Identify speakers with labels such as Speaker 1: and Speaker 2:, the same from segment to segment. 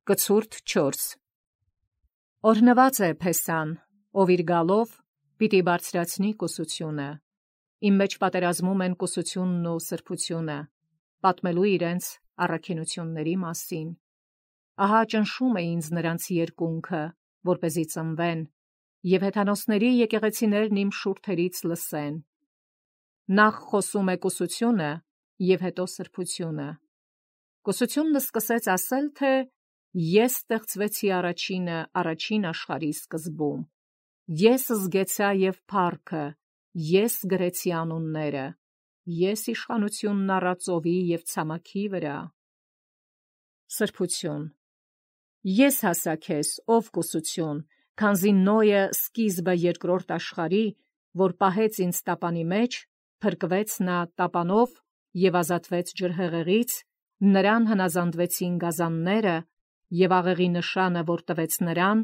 Speaker 1: Կցուրդ 4 Օրհնված է Փեսան, ով իր գալով պիտի բարձրացնի կուսությունը։ Իմ մեջ պատերազմում են կուսությունն ու սրբությունը, պատմելու իրենց առաքինությունների մասին։ Ահա ճնշում է ինձ նրանց երկունքը, որպեսզի ծնվեն, և հեթանոսների եկեղեցիներն իմ շուրթերից լսեն։ Նախ խոսում է կուսությունը, և հետո սրբությունը։ Կուսությունն սկսեց ասել, թե ես ստեղծվեցի առաջին աշխարհի սկզբում։ Ես զգեցա և փառքը, ես գրեցի անունները, ես իշխանությունն առա ծովի և ցամաքի վրա։ Սրբություն։ Ես հասա քեզ, ով կուսություն, քանզի Նոյը սկիզբը երկրորդ աշխարհի, որ պահեց ինձ տապանի մեջ, փրկվեց նա տապանով և ազատվեց ջրհեղեղից, նրան հնազանդվեցին գազանները, և աղեղի նշանը, որ տվեց նրան,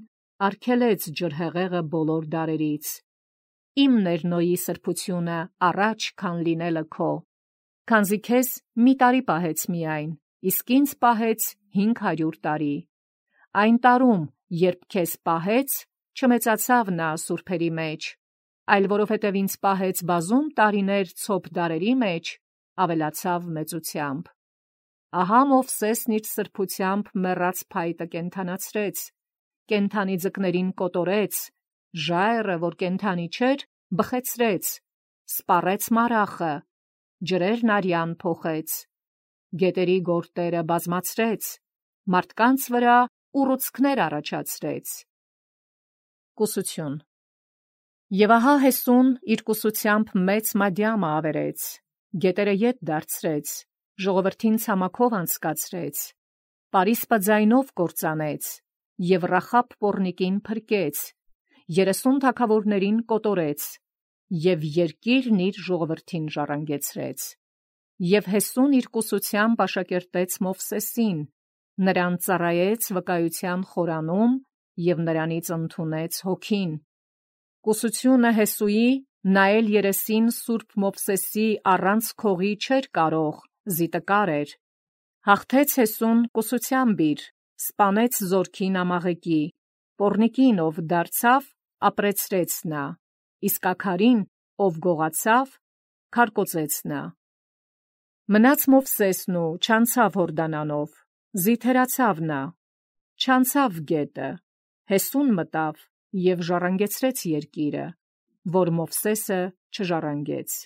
Speaker 1: արգելեց ջրհեղեղը բոլոր դարերից։ Իմն էր Նոյի սրբությունը առաջ, քան լինելը քո, քանզի քեզ մի տարի պահեց միայն, իսկ ինձ պահեց 500 տարի։ Այն տարում, երբ քեզ պահեց, չմեծացավ նա սուրբերի մեջ, այլ որովհետև ինձ պահեց բազում տարիներ ցոփ դարերի մեջ, ավելացավ մեծությամբ։ Ահա Մովսեսն իր սրբությամբ մեռած փայտը կենդանացրեց, կենդանի ձկներին կոտորեց, ժայռը, որ կենդանի չէր, բխեցրեց, սպառեց մարախը, ջրերն արյան փոխեց, գետերի գորտերը բազմացրեց, մարդկանց վրա ուռուցքներ առաջացրեց։ Կուսություն։ Եվ ահա Հեսուն իր կուսությամբ մեծ մադյամը ավերեց, գետերը ետ դարձրեց, ժողովրդին ցամաքով անցկացրեց, Պարիսպը ձայնով կործանեց, և Ռախաբ պոռնիկին փրկեց, 30 թագավորներին կոտորեց, և երկիրն իր ժողովրդին ժառանգեցրեց։ Եվ Հեսուն իր կուսությամբ աշակերտեց Մովսեսին, նրան ծառայեց վկայության խորանում և նրանից ընդունեց հոգին։ Կուսությունը Հեսուի նայել երեսին սուրբ Մովսեսի առանց քողի չէր կարող, զիտկար էր։ Հաղթեց Հեսուն կուսությամբ իր, սպանեց զորքին Ամաղեկի, պոռնիկին, ով դարձավ, ապրեցրեց նա, իսկ աքարին, ով գողացավ, քարկոծեց նա։ Մնաց Մովսեսն ու չանցավ Հորդանանով, զիթերացավ նա, չանցավ գետը, Հեսուն մտավ և ժառանգեցրեց երկիրը, որ Մովսեսը չժառանգեց։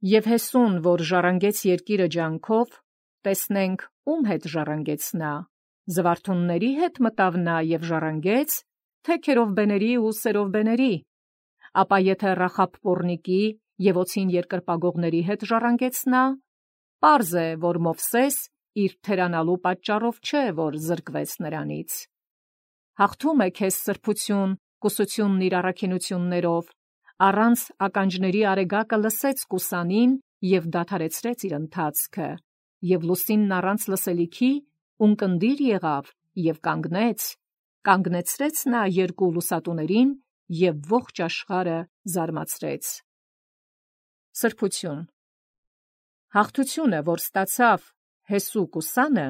Speaker 1: Եվ Հեսուն, որ ժառանգեց երկիրը ջանքով, տեսնենք ում հետ ժառանգեց նա, զվարթունների հետ մտավ նա և ժառանգեց, թե քերովբեների ու սերովբեների։ Ապա եթե Ռախաբ պոռնիկի և օձին երկրպագողների հետ ժառանգեց նա, պարզ է, որ Մովսես իր թերանալու պատճառով չէ, որ զրկվեց նրանից։ Հաղթում է քեզ սրբություն, կուսությունն իր առաքինություններով, առանց ականջների արեգակը լսեց կուսանին և դադարեցրեց իր ընթացքը, և լուսինն առանց լսելիքի ունկնդիր եղավ և կանգնեցրեց նա երկու լուսատուներին և ողջ աշխարհը զարմացրեց։ Սրբություն։ Հաղթությունը, որ ստացավ Հեսու կուսանը,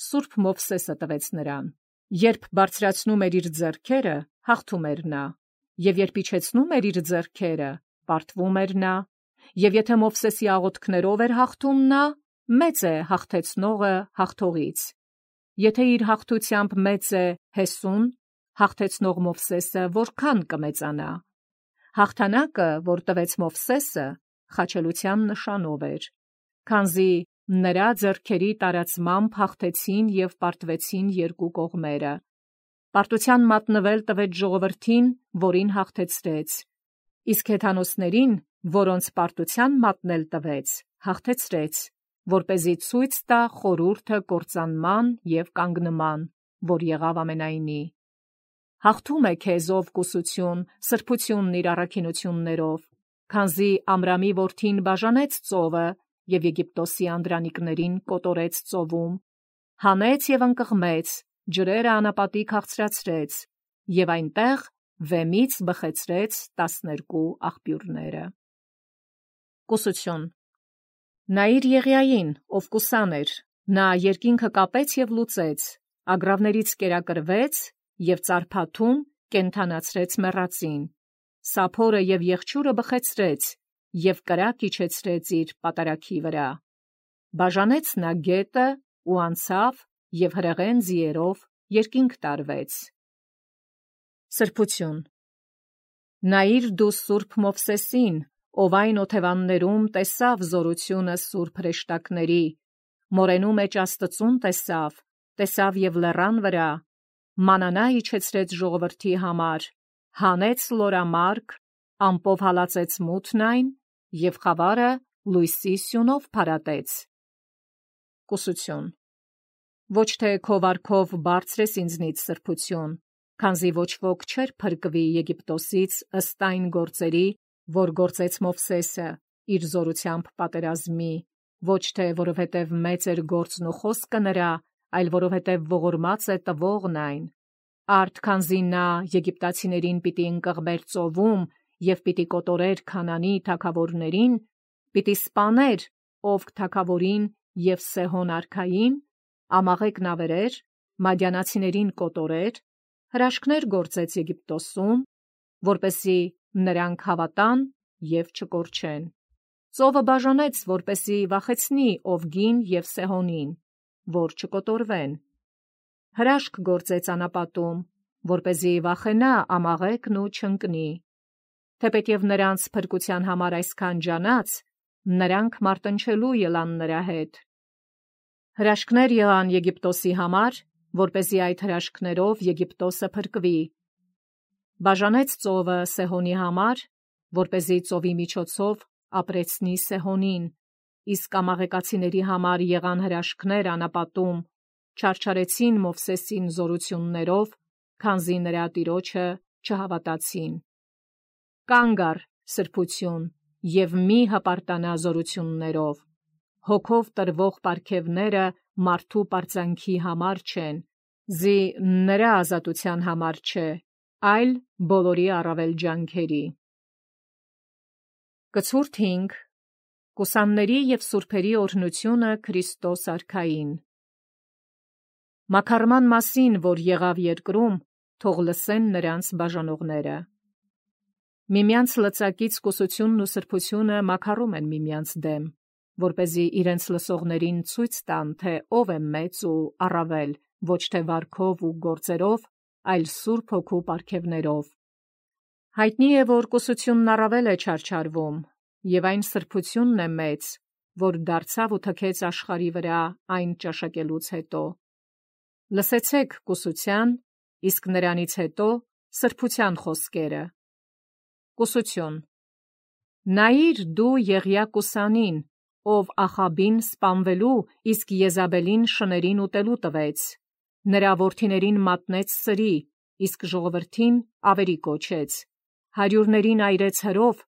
Speaker 1: սուրբ Մովսեսը տվեց նրան։ Երբ բարձրացնում էր իր ձեռքերը, հաղթում էր նա, և երբ իջեցնում էր իր ձեռքերը, պարտվում էր նա, և եթե Մովսեսի աղոթքներով էր հաղթում նա, մեծ է հաղթեցնողը հաղթողից։ Եթե իր հաղթությամբ մեծ է Հեսուն, հաղթեցնող Մովսեսը որքան կմեծանա։ Հաղթանակը, որ տվեց Մովսեսը, խաչելության նշանով էր, քանզի նրա ձեռքերի տարածմամբ հաղթեցին և պարտվեցին երկու կողմերը։ Պարտության մատնվել տվեց ժողովրդին, որին հաղթեցրեց, իսկ հեթանոսներին, որոնց պարտության մատնել տվեց, հաղթեցրեց, որպեսզի ցույց տա խորհուրդը կործանման և կանգնման, որ եղավ ամենայնի։ Հաղթում է քեզ, ով կուսություն, սրբությունն իր առաքինություններով, քանզի Ամրամի որդին բաժանեց ծովը և Եգիպտոսի անդրանիկներին կոտորեց ծովում, հանեց և ընկղմեց, ջրերը անապատիկ հաղցրացրեց, և այնտեղ վեմից բխեցրեց 12 աղբյուրները։ Կուսություն։ Նա իր Եղիային, ով կուսան էր, նա երկինքը կապեց և լուծեց, ագռավներից կերակրվեց և ծարփաթում կենդանացրեց մեռածին, սափորը և եղջյուրը բխեցրեց և կրակ իջեցրեց իր պատարագի վրա, բաժանեց նա գետը ու անցավ և հրեղեն ձիերով երկինք տարվեց։ Սրբություն։ Նայիր դու սուրբ Մովսեսին, ով այն օթևաններում տեսավ զորությունը սուրբ հրեշտակների, մորենու մեջ Աստծուն տեսավ և լեռան վրա, մանանա իջեցրեց ժողովրդի համար, հանեց լորամարգ, ամպով հալածեց մութն այն և խավարը լույսի սյունով փարատեց։ Կուսություն։ Ոչ թե քո վարքով բարձրես ինձնից սրբություն, քանզի ոչ ոք չէր փրկվի Եգիպտոսից ըստ այն գործերի, որ գործեց Մովսեսը իր զորությամբ պատերազմի, ոչ թե որովհետև մեծ էր գործն ու խոսքը նրա, այլ որովհետև ողորմած է տվողն այն, արդ քանզի նա եգիպտացիներին պիտի ընկղմեր ծովում և պիտի կոտորեր Քանանի թագավորներին, պիտի սպաներ Օգ թագավորին և Սեհոն արքային, ամաղեկն ավերեր, մադիանացիներին կոտորեր, հրաշքներ գործեց Եգիպտոսում, որպեսզի նրանք հավատան և չկորչեն։ Ծովը բաժանեց, որպեսզի վախեցնի Օգին և Սեհոնին, որ չկոտորվեն։ Հրաշք գործեց անապատում, որպեսզի վախենա ամաղեկն ու չընկնի։ Թեպետև նրանց փրկության համար այսքան ջանաց, նրանք մարտնչելու ելան նրա հետ։ Հրաշքներ եղան Եգիպտոսի համար, որպեսզի այդ հրաշքներով Եգիպտոսը փրկվի։ Բաժանեց ծովը Սեհոնի համար, որպեսզի ծովի միջոցով ապրեցնի Սեհոնին, իսկ ամաղեկացիների համար եղան հրաշքներ անապատում, չարչարեցին Մովսեսին զորություններով, քանզի նրա տիրոջը չհավատացին։ Կանգ առ, սրբություն, և մի հպարտանա զորություններով, հոգով տրվող պարգևները մարդու պարծանքի համար չեն, զի նրա ազատության համար չէ, այլ բոլորի առավել ջանքերի։ Կցուրդ 5. Կուսանների և սուրբերի օրհնությունը Քրիստոս արքային։ Մաքարման մասին, որ եղավ երկրում, թող լսեն նրանց բաժանողները։ Միմյանց լծակից կուսությունն ու սրբությունը մաքարում են միմյանց դեմ, որպեսզի իրենց լսողներին ցույց տան, թե ով է մեծ ու առավել, ոչ թե վարքով ու գործերով, այլ Սուրբ Հոգու պարգևներով։ Հայտնի է, որ կուսությունն առավել է չարչարվում, և այն սրբությունն է մեծ, որ դարձավ ու թքեց աշխարհի վրա այն ճաշակելուց հետո։ Լսեցեք կուսության, իսկ նրանից հետո սրբության խոսքերը։ Կուսություն։ Նայիր դու Եղիա կուսանին, ով Ախաբին սպանվելու, իսկ Եզաբելին շներին ուտելու տվեց, նրա որդիներին մատնեց սրի, իսկ ժողովրդին ավերի կոչեց, 100-ներին այրեց հրով,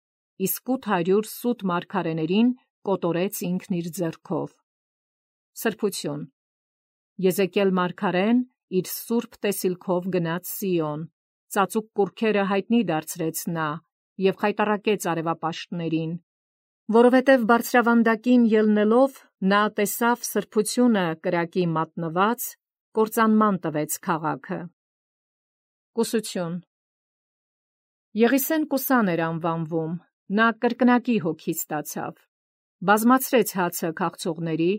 Speaker 1: իսկ 800 սուտ մարգարեներին կոտորեց ինքն իր ձեռքով։ Սրբություն։ Եզեկիել մարգարեն իր սուրբ տեսիլքով գնաց Սիոն, ծածուկ կուռքերը հայտնի դարձրեց նա և խայտառակեց արևապաշտներին, որովհետև բարձրավանդակին ելնելով նա տեսավ սրբությունը կրակի մատնված, կործանման տվեց քաղաքը։ Կուսություն։ Եղիսեն կուսան էր անվանվում, նա կրկնակի հոգի ստացավ, բազմացրեց հացը քաղցողների,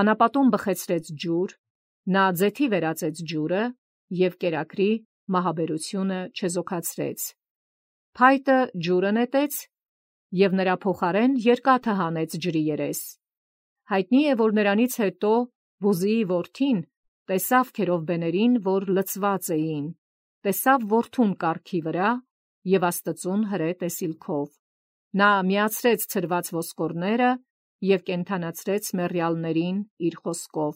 Speaker 1: անապատում բխեցրեց ջուր, նա ձեթի վերածեց ջուրը և կերակրի մահաբերությունը չեզոքացրեց։ Փայտը ջուրը նետեց և նրա փոխարեն երկաթը հանեց ջրի երես։ Հայտնի է, որ նրանից հետո Բուզիի որդին տեսավ քերովբեներին, որ լցված էին, տեսավ որդուն կառքի վրա և Աստծուն հրե տեսիլքով։ Նա միացրեց ցրված ոսկորները և կենդանացրեց մեռյալներին իր խոսքով։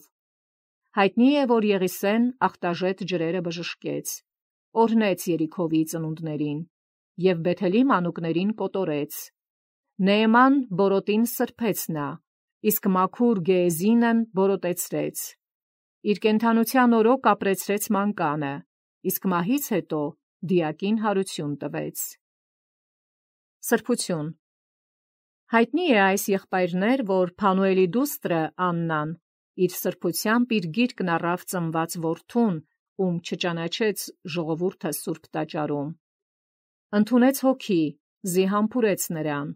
Speaker 1: Հայտնի է, որ Եղիսեն ախտաժետ ջրերը բժշկեց, օրհնեց Երիքովի ծնունդներին և Բեթելի մանուկներին կոտորեց։ Նեեման բորոտին սրբեց նա, իսկ մաքուր Գեեզինն բորոտեցրեց։ Իր կենդանության օրոք ապրեցրեց մանկանը, իսկ մահից հետո դիակին հարություն տվեց։ Սրբություն։ Հայտնի է այս եղբայրներ, որ Փանուելի դուստրը Աննան իր սրբությամբ իր գիրկն առավ ծնված որդուն, ում չճանաչեց ժողովուրդը սուրբ տաճարում։ Ընդունեց հոգի, զիհամբուրեց նրան,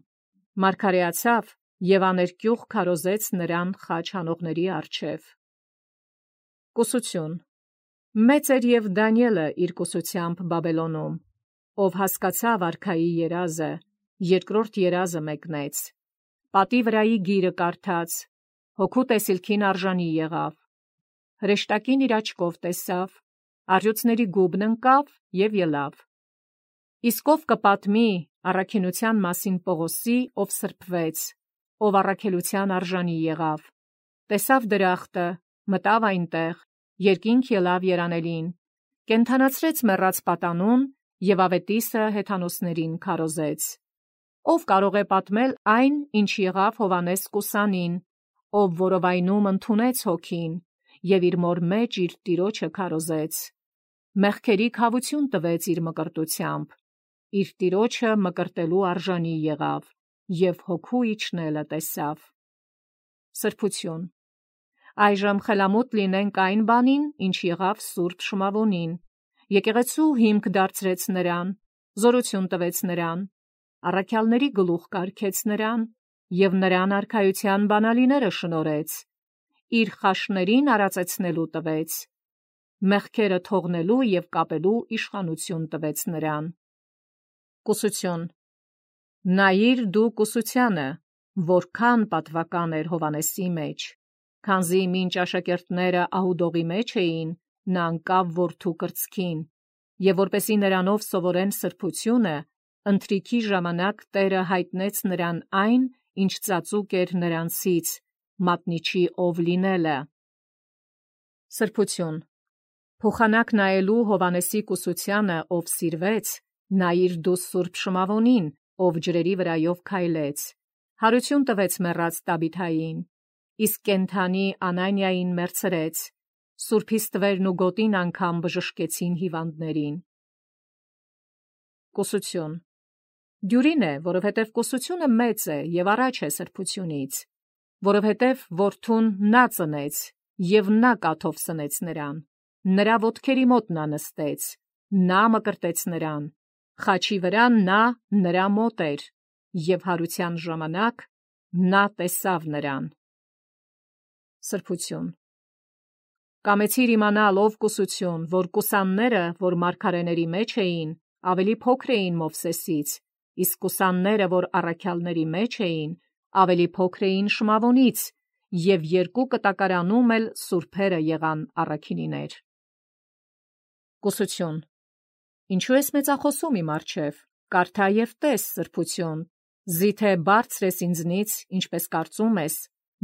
Speaker 1: մարգարեացավ և աներկյուղ քարոզեց նրան խաչ հանողների առջև։ Կուսություն։ Մեծ էր և Դանիելը իր կուսությամբ Բաբելոնում, ով հասկացավ արքայի երազը, երկրորդ երազը մեկնեց, պատի վրայի գիրը կարդաց, հոգու տեսիլքին արժանի եղավ, հրեշտակին իր աչքով տեսավ, առյուծների գուբն ընկավ և ելավ։ Իսկ ով կպատմի առաքինության մասին Պողոսի, ով սրբվեց, ով առաքելության արժանի եղավ, տեսավ դրախտը, մտավ այնտեղ, երկինք ելավ երանելին, կենդանացրեց մեռած պատանուն և ավետիսը հեթանոսներին քարոզեց։ Ով կարող է պատմել այն, ինչ եղավ Հովանես Կուսանին, ով որովայնում ընդունեց հոգին և իր մոր մեջ իր տիրոջը քարոզեց, մեղքերի քավություն տվեց իր մկրտությամբ, իր տիրոջը մկրտելու արժանի եղավ և հոգու իջնելը տեսավ։ Սրբություն։ Այժմ խելամուտ լինենք այն բանին, ինչ եղավ Սուրբ Շմավոնին, եկեղեցու հիմք դարձրեց նրան, զորություն տվեց նրան, առաքյալների գլուխ կարգեց նրան և նրան արքայության բանալիները շնորհեց, իր խաշներին արածեցնելու տվեց, մեղքերը թողնելու և կապելու իշխանություն տվեց նրան։ Կուսություն։ Նայիր դու կուսությանը, որքան պատվական էր Հովանեսի մեջ, քանզի մինչ աշակերտները ահուդողի մեջ էին, նա ընկավ որդու կրծքին, և որպեսզի նրանով սովորեն սրբությունը, ընթրիքի ժամանակ Տերը հայտնեց նրան այն, ինչ ծածուկ էր նրանցից, մատնիչի ով լինելը։ Սրբություն։ Փոխանակ նայելու Հովանեսի կուսությանը, ով սիրվեց, նայիր դու Սուրբ Շմավոնին, ով ջրերի վրայով քայլեց, հարություն տվեց մեռած Տաբիթային, իսկ կենդանի Անանիային մերձրեց, սուրբ հիստվերն ու գոտին անգամ բժշկեցին հիվանդներին։ Կուսություն։ Դյուրին է, որովհետև կուսությունը մեծ է և առաջ է սրբությունից, որովհետև որդուն նա ծնեց և նա կաթով սնեց նրան, նրա ոտքերի մոտ նա նստեց, նա մկրտեց նրան, խաչի վրա նա նրա մոտ էր, և հարության ժամանակ նա տեսավ նրան։ Սրբություն։ Կամեցիր իմանալ, ով կուսություն, որ կուսանները, որ մարգարեների մեջ էին, ավելի փոքր էին Մովսեսից, իսկ կուսանները, որ առաքյալների մեջ էին, ավելի փոքր էին Շմավոնից, և երկու կտակարանում էլ սուրբերը եղան առաքինիներ։ Կուսություն։ Ինչու ես մեծախոսում իմ առջև, կարդա և տես սրբություն, զիթե բարձր ես ինձնից, ինչպես կարծում ես,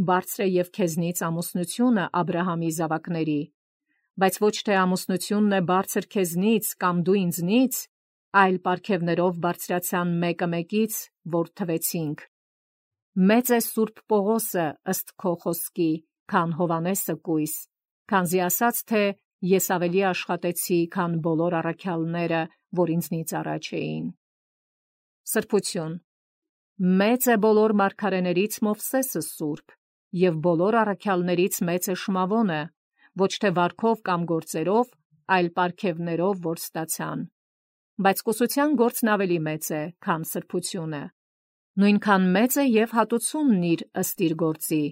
Speaker 1: բարձր է և քեզնից ամուսնությունը Աբրահամի զավակների, բայց ոչ թե ամուսնությունն է բարձր քեզնից կամ դու ինձնից, այլ պարգևներով բարձրացան մեկը մեկից, որ թվեցինք։ Մեծ է Սուրբ Պողոսը ըստ քո խոսքի, քան Հովանեսը կույս, քանզի ասաց, թե ես ավելի աշխատեցի, քան բոլոր առաքյալները, որ ինձնից առաջ էին։ Սրբություն։ Մեծ է բոլոր մարգարեներից Մովսեսը սուրբ, և բոլոր առաքյալներից մեծ է Շմավոնը, ոչ թե վարքով կամ գործերով, այլ պարգևներով, որ ստացան։ Բայց կուսության գործն ավելի մեծ է, քան սրբությունը։ Նույնքան մեծ է և հատուցումն իր ըստ իր գործի։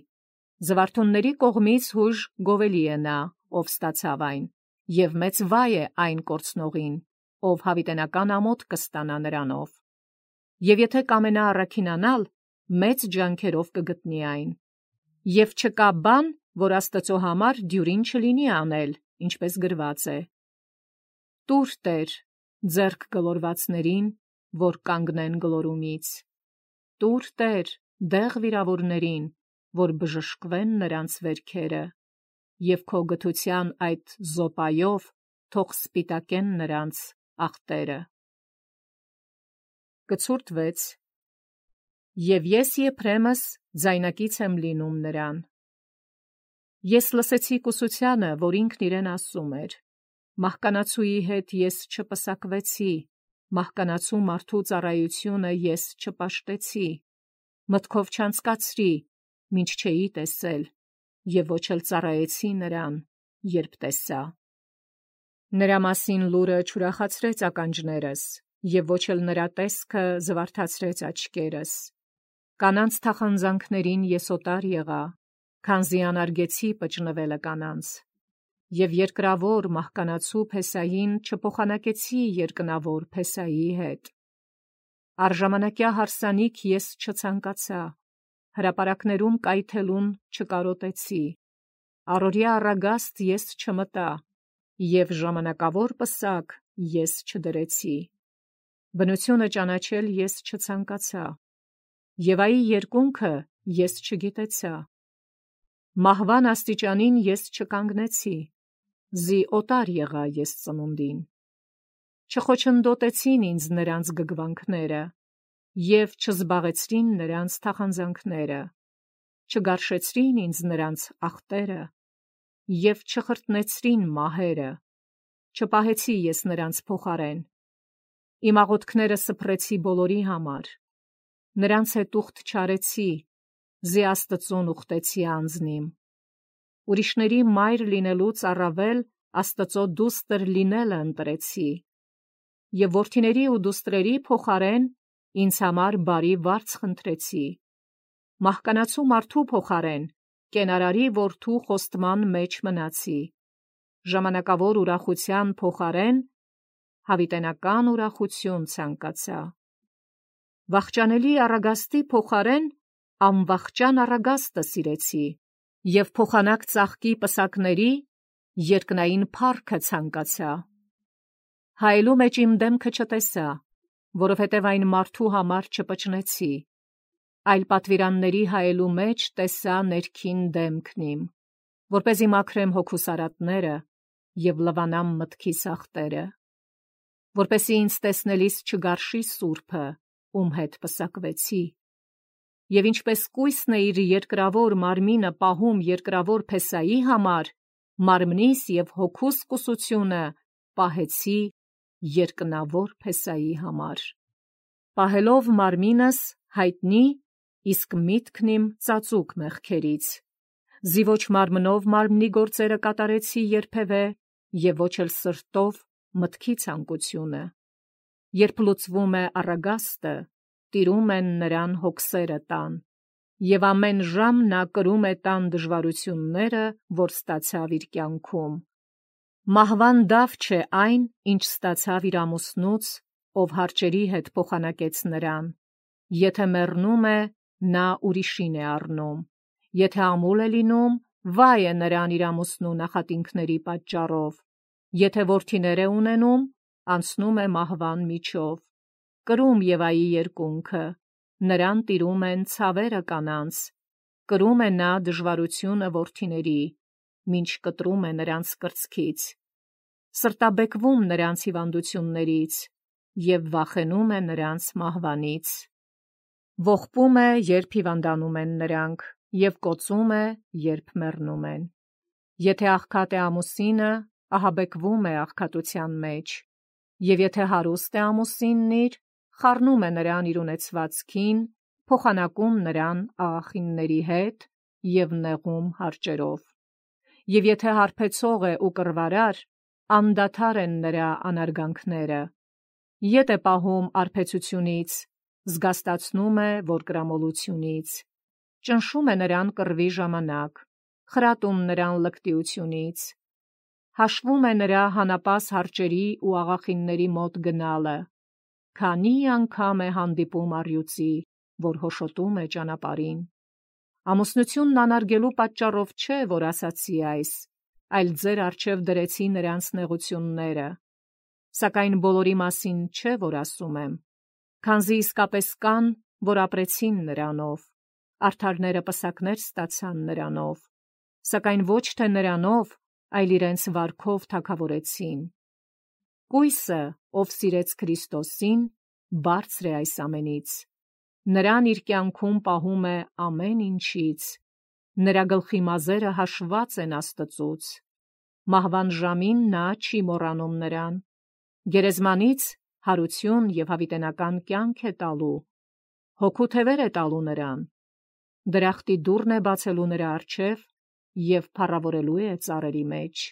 Speaker 1: Զվարթունների կողմից հույժ գովելի է նա, ով ստացավ այն, և մեծ վայ է այն կորցնողին, ով հավիտենական ամոթ կստանա նրանով։ Եվ եթե կամենա առաքինանալ, մեծ ջանքերով կգտնի այն։ Եվ չկա բան, որ Աստծո համար դյուրին չլինի անել, ինչպես գրված է. «Տուր Տեր, ձեռք գլորվածներին, որ կանգնեն գլորումից, տուր Տեր, դեղ վիրավորներին, որ բժշկվեն նրանց վերքերը, և քո գթության այդ զոպայով թող սպիտակեն նրանց ախտերը»։ Կցուրդ 6. Եվ ես Եփրեմս ձայնակից եմ լինում նրան։ Ես լսեցի կուսությանը, որ ինքն իրեն ասում էր. մահկանացուի հետ ես չպսակվեցի, մահկանացու մարդու ծառայությունը ես չպաշտեցի, մտքով չանցկացրի, մինչ չէի տեսել, և ոչ էլ ծառայեցի նրան, երբ տեսա։ Նրա մասին լուրը չուրախացրեց ականջներս, և ոչ էլ նրա տեսքը զվարթացրեց աչքերս։ Կանանց թախանձանքներին ես օտար եղա, քանզի անարգեցի պճնվելը կանանց, և երկրավոր մահկանացու Փեսային չփոխանակեցի երկնավոր Փեսայի հետ։ Առժամանակյա հարսանիք ես չցանկացա, հրապարակներում կայթելուն չկարոտեցի, առօրյա առագաստ ես չմտա, և ժամանակավոր պսակ ես չդրեցի։ Բնությունը ճանաչել ես չցանկացա, և այի երկունքը ես չգիտեցա։ Մահվան աստիճանին ես չկանգնեցի, զի օտար եղա ես ծնունդին։ Չխոչընդոտեցին ինձ նրանց գգվանքները, և չզբաղեցրին նրանց թախանձանքները, չգարշեցրին ինձ նրանց ախտերը, և չխրտնեցրին մահերը, չպահեցի ես նրանց փոխարեն։ Իմ աղոթքները սփռեցի բոլորի համար, նրանց հետ ուխտ չարեցի, զի Աստծուն ուխտեցի անձնիմ։ Ուրիշների մայր լինելուց առավել Աստծո դուստր լինելը ընտրեցի, և որդիների ու դուստրերի փոխարեն ինձ համար բարի վարձ խնդրեցի։ Մահկանացու մարդու փոխարեն կենարարի որդու խոստման մեջ մնացի, ժամանակավոր ուրախության փոխարեն հավիտենական ուրախություն ցանկացա։ Վախճանելի առագաստի փոխարեն անվախճան առագաստը սիրեցի, և փոխանակ ծաղկի պսակների երկնային փառքը ցանկացա։ Հայելու մեջ իմ դեմքը չտեսա, որովհետև այն մարդու համար չպճնեցի, այլ պատվիրանների հայելու մեջ տեսա ներքին դեմքն իմ, որպեսզի մաքրեմ հոգուս արատները և լվանամ մտքիս ախտերը, որպեսզի ինձ տեսնելիս չգարշի Սուրբը, ում հետ պսակվեցի, և ինչպես կույսն է իր երկրավոր մարմինը պահում երկրավոր Փեսայի համար, մարմնիս և հոգուս կուսությունը պահեցի երկնավոր Փեսայի համար։ Պահելով մարմինս հայտնի, իսկ միտքն իմ ծածուկ մեղքերից, զի ոչ մարմնով մարմնի գործերը կատարեցի երբևէ, և ոչ էլ սրտով մտքի ցանկությունը։ Երբ լուծվում է առագաստը, տիրում են նրան հոգսերը տան, և ամեն ժամ նա կրում է տան դժվարությունները, որ ստացավ իր կյանքում։ Մահվան դավ չէ այն, ինչ ստացավ իր ամուսնուց, ով հարճերի հետ փոխանակեց նրան։ Եթե մեռնում է, նա ուրիշին է առնում, եթե ամուլ է լինում, վայ է նրան իր ամուսնու նախատինքների պատճառով, եթե որդիներ է ունենում, անցնում է մահվան միջով։ Կրում Եվայի երկունքը, նրան տիրում են ցավերը կանանց, կրում է նա դժվարությունը որդիների, մինչ կտրում է նրանց կրծքից, սրտաբեկվում նրանց հիվանդություններից և վախենում է նրանց մահվանից։ Ողբում է, երբ հիվանդանում են նրանք, և կոծում է, երբ մեռնում են։ Եթե աղքատ է ամուսինը, ահաբեկվում է աղքատության մեջ, և եթե հարուստ է ամուսինն իր, խառնում է նրան իր ունեցվածքին, փոխանակում նրան աղախինների հետ և նեղում հարճերով։ Եվ եթե հարբեցող է ու կռվարար, անդադար են նրա անարգանքները, ետ է պահում արբեցությունից, զգաստացնում է որդկրամոլությունից, ճնշում է նրան կռվի ժամանակ, խրատում նրան լկտիությունից, հաշվում է նրա հանապաս հարճերի ու աղախինների մոտ գնալը, քանի անգամ է հանդիպում առյուծի, որ հոշոտում է ճանապարհին։ Ամուսնությունն անարգելու պատճառով չէ, որ ասացի այս, այլ ձեր առջև դրեցի նրանց նեղությունները, սակայն բոլորի մասին չէ, որ ասում եմ, քանզի իսկապես կան, որ ապրեցին նրանով, արդարները պսակներ ստացան նրանով, սակայն ոչ թե նրանով, այլ իրենց վարքով թագավորեցին։ Կույսը, ով սիրեց Քրիստոսին, բարձր է այս ամենից, նրան իր կյանքում պահում է ամեն ինչից, նրա գլխի մազերը հաշված են Աստծուց, մահվան ժամին նա չի մոռանում նրան, գերեզմանից հարություն և հավիտենական կյանք է տալու, հոգու թևեր է տալու նրան, դրախտի դուռն է բացելու նրա առջև և փառավորելու է ծառերի մեջ։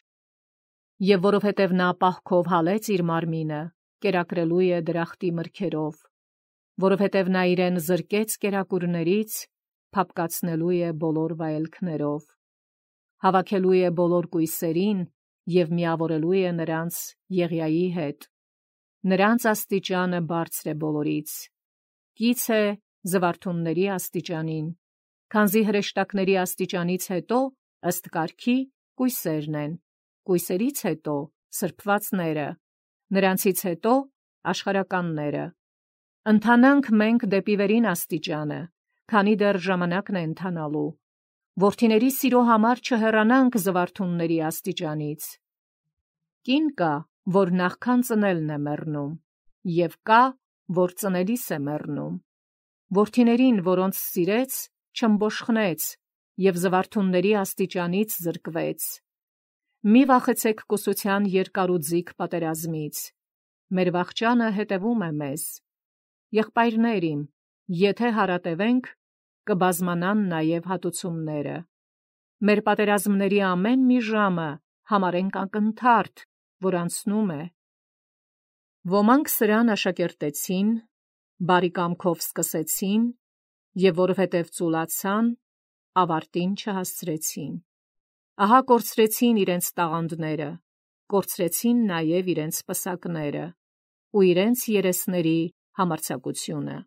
Speaker 1: Եվ որովհետև նա պահքով հալեց իր մարմինը, կերակրելու է դրախտի մրգերով, որովհետև նա իրեն զրկեց կերակուրներից, փափկացնելու է բոլոր վայելքներով, հավաքելու է բոլոր կույսերին և միավորելու է նրանց Եղիայի հետ։ Նրանց աստիճանը բարձր է բոլորից, կից է զվարթունների աստիճանին, քանզի հրեշտակների աստիճանից հետո ըստ կարգի կույսերն են, կույսերից հետո սրբվածները, նրանցից հետո աշխարհականները։ Ընթանանք մենք դեպի վերին աստիճանը, քանի դեռ ժամանակն է ընթանալու, որդիների սիրո համար չհեռանանք զվարթունների աստիճանից։ Կին կա, որ նախքան ծնելն է մեռնում, և կա, որ ծնելիս է մեռնում։ Որդիներին, որոնց սիրեց, չըմբոշխնեց և զվարթունների աստիճանից զրկվեց։ Մի վախեցեք կուսության երկարուձիգ պատերազմից, մեր վախճանը հետևում է մեզ։ Եղբայրներ իմ, եթե հարատևենք, կբազմանան նաև հատուցումները։ Մեր պատերազմների ամեն մի ժամը համարենք ակնթարթ, որ անցնում է։ Ոմանք սրան աշակերտեցին, բարի կամքով սկսեցին, և որովհետև ծուլացան, ավարտին չհասցրեցին։ Ահա կորցրեցին իրենց տաղանդները, կորցրեցին նաև իրենց պսակները ու իրենց երեսների համարձակությունը։